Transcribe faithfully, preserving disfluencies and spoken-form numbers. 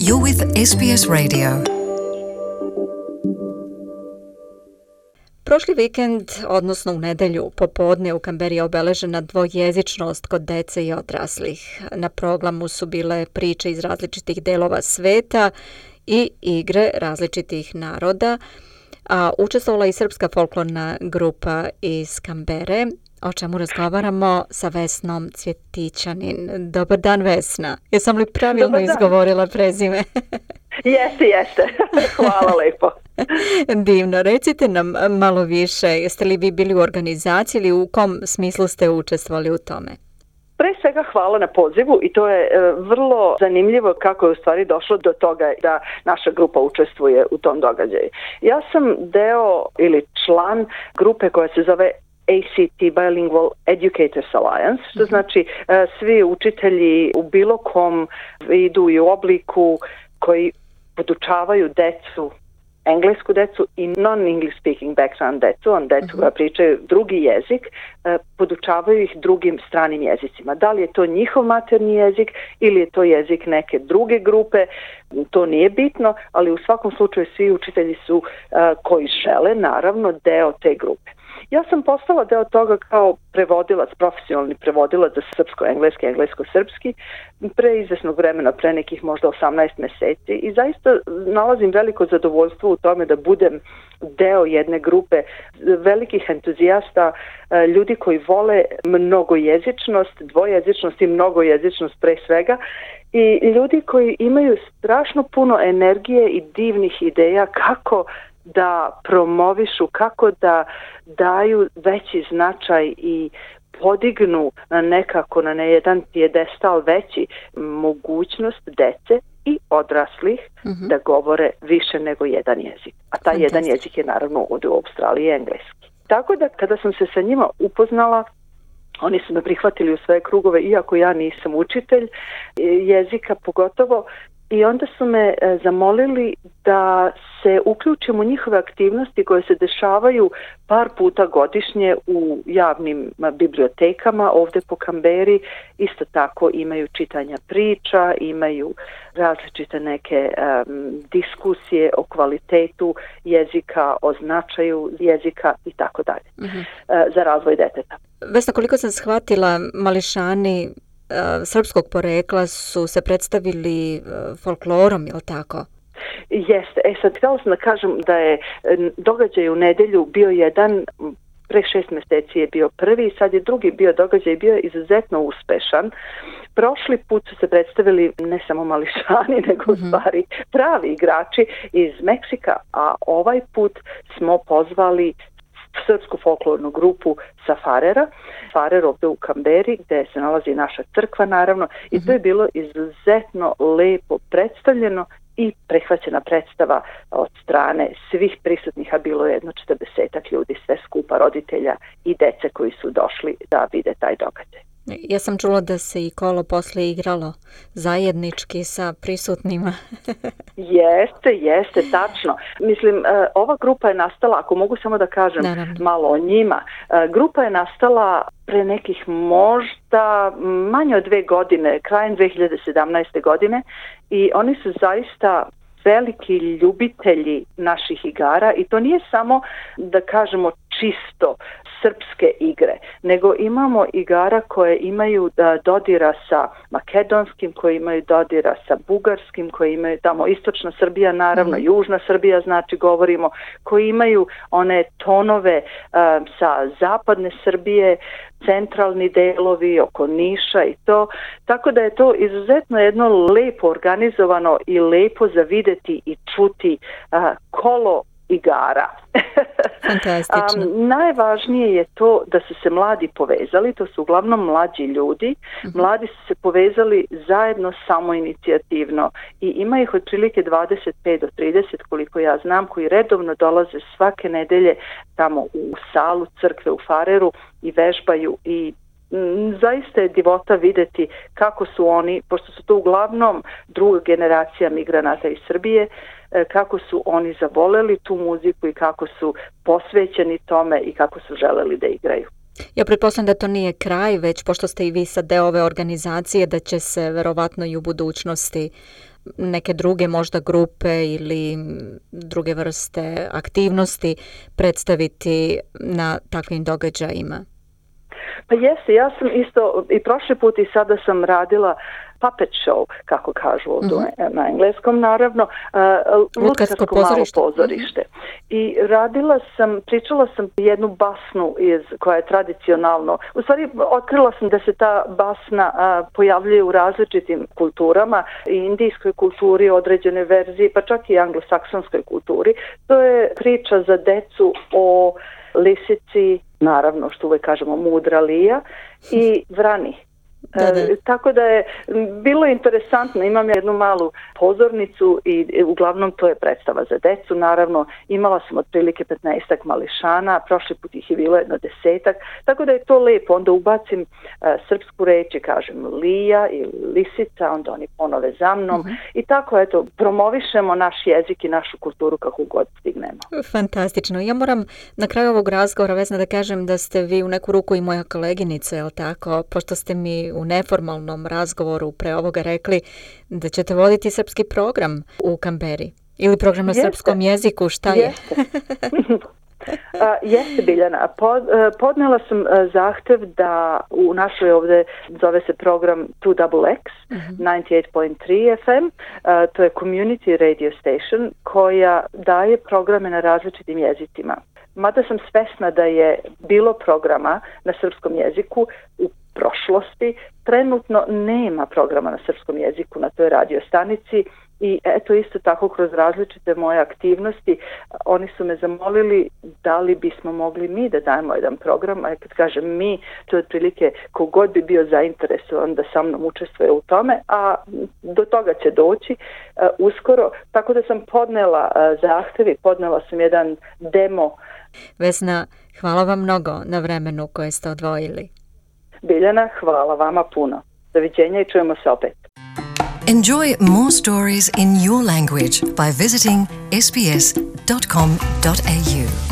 You're with S B S Radio. Prošli vikend, odnosno u nedelju popodne u Kamberi je obeležena dvojezičnost kod dece i odraslih. Na programu su bile priče iz različitih delova sveta i igre različitih naroda, a učestvovala i srpska folklorna grupa iz Kambere, o čemu razgovaramo sa Vesnom Cvjetićanin. Dobar dan, Vesna. Jesam li pravilno izgovorila prezime? Jeste, jeste. Hvala lepo. Divno. Recite nam malo više. Jeste li vi bili u organizaciji ili u kom smislu ste učestvovali u tome? Pre svega hvala na pozivu i to je e, vrlo zanimljivo kako je u stvari došlo do toga da naša grupa učestvuje u tom događaju. Ja sam deo ili član grupe koja se zove A C T Bilingual Educators Alliance, što znači e, svi učitelji u bilo kom vidu i obliku koji podučavaju decu, englesku decu i non-English speaking background decu, on decu uh-huh. koja pričaju drugi jezik, eh, podučavaju ih drugim stranim jezicima. Da li je to njihov materni jezik ili je to jezik neke druge grupe, to nije bitno, ali u svakom slučaju svi učitelji su eh, koji žele, naravno, deo te grupe. Ja sam postala deo toga kao prevodilac, profesionalni prevodilac za srpsko-engleski, englesko-srpski, pre izvesnog vremena, pre nekih možda osamnaest meseci i zaista nalazim veliko zadovoljstvo u tome da budem deo jedne grupe velikih entuzijasta, ljudi koji vole mnogojezičnost, dvojezičnost i mnogojezičnost pre svega i ljudi koji imaju strašno puno energije i divnih ideja kako da promovišu, kako da daju veći značaj i podignu na nekako na jedan pijedestal veći mogućnost dece i odraslih mm-hmm. da govore više nego jedan jezik. A taj Fantastic. jedan jezik je naravno ovdje u Australiji engleski. Tako da kada sam se sa njima upoznala, oni su me prihvatili u svoje krugove, iako ja nisam učitelj jezika pogotovo, i onda su me e, zamolili da se uključim u njihove aktivnosti koje se dešavaju par puta godišnje u javnim bibliotekama ovdje po Kamberi. Isto tako imaju čitanja priča, imaju različite neke um, diskusije o kvalitetu jezika, o značaju jezika i tako dalje mm-hmm. e, za razvoj deteta. Vesna, koliko sam shvatila, mališani srpskog porekla su se predstavili folklorom, je li tako? Jeste. E sad, htjela sam da kažem da je događaj u nedelju bio jedan, pre šest mjeseci je bio prvi, sad je drugi bio događaj, bio je izuzetno uspešan. Prošli put su se predstavili ne samo mališani, nego mm-hmm. u stvari pravi igrači iz Meksika, a ovaj put smo pozvali srpsku folklornu grupu sa Farera, Farer ovdje u Kamberi, gdje se nalazi naša crkva naravno, i mm-hmm. to je bilo izuzetno lepo predstavljeno i prihvaćena predstava od strane svih prisutnih, a bilo je jedno četrdesetak ljudi, sve skupa roditelja i dece koji su došli da vide taj događaj. Ja sam čula da se i kolo posle igralo zajednički sa prisutnima. Jeste, jeste, tačno. Mislim, ova grupa je nastala, ako mogu samo da kažem Naravno. malo o njima, grupa je nastala pre nekih možda manje od dve godine, krajem dve hiljade sedamnaeste. godine i oni su zaista veliki ljubitelji naših igara i to nije samo, da kažemo, čisto srpske igre, nego imamo igara koje imaju da dodira sa makedonskim, koje imaju dodira sa bugarskim, koje imaju tamo istočna Srbija, naravno mm. južna Srbija, znači govorimo, koji imaju one tonove uh, sa zapadne Srbije, centralni delovi oko Niša i to, tako da je to izuzetno jedno lepo organizovano i lepo za videti i čuti uh, kolo igara. Fantastično. um, najvažnije je to da su se mladi povezali, to su uglavnom mlađi ljudi. Mm-hmm. Mladi su se povezali zajedno samoinicijativno i ima ih otprilike dvadeset pet do trideset koliko ja znam, koji redovno dolaze svake nedelje tamo u salu crkve u Fareru i vežbaju i m, zaista je divota videti kako su oni, pošto su to uglavnom druga generacija migranata iz Srbije, kako su oni zavoleli tu muziku i kako su posvećeni tome i kako su želeli da igraju. Ja pretpostavljam da to nije kraj, već pošto ste i vi sad deo ove organizacije, da će se verovatno i u budućnosti neke druge možda grupe ili druge vrste aktivnosti predstaviti na takvim događajima? Pa jeste, ja sam isto i prošli put i sada sam radila puppet show, kako kažu ovdje mm-hmm. na engleskom, naravno, uh, lutkarsko pozorište. Malo pozorište. Mm-hmm. I radila sam, pričala sam jednu basnu iz, koja je tradicionalno, u stvari otkrila sam da se ta basna uh, pojavljuje u različitim kulturama, i indijskoj kulturi, određene verzije, pa čak i anglosaksonskoj kulturi. To je priča za decu o lisici, naravno što uvijek kažemo mudra lija, i vrani. Da, da. E, tako da je bilo interesantno, imam jednu malu pozornicu i, i uglavnom to je predstava za decu, naravno imala sam otprilike petnaestak mališana, prošli put ih je bilo jedno desetak, tako da je to lepo, onda ubacim uh, srpsku reč i kažem lija ili lisica, onda oni ponove za mnom uh-huh. i tako eto, promovišemo naš jezik i našu kulturu kako god stignemo. Fantastično. Ja moram na kraju ovog razgovora, Vesna, da kažem da ste vi u neku ruku i moja koleginica, je li tako, pošto ste mi u neformalnom razgovoru pre ovoga rekli da ćete voditi srpski program u Kamberi ili program na Jeste. Srpskom jeziku, šta je? Jeste. Uh, jeste Biljana, Pod, uh, podnela sam uh, zahtev da u našoj ovdje zove se program two X X, uh-huh. ninety-eight point three F M, uh, to je community radio station koja daje programe na različitim jezicima. Mada sam svesna da je bilo programa na srpskom jeziku u prošlosti, trenutno nema programa na srpskom jeziku na toj radio stanici i eto isto tako kroz različite moje aktivnosti oni su me zamolili da li bismo mogli mi da dajemo jedan program, a kad kažem mi, to je otprilike kogod bi bio zainteresovan da sa mnom učestvuje u tome, a do toga će doći uh, uskoro, tako da sam podnela uh, zahtev i podnela sam jedan demo. Vesna, hvala vam mnogo na vremenu koje ste odvojili. Biljana, hvala vama puno. Doviđenja i čujemo se opet. Enjoy more stories in your language by visiting s b s dot com dot a u.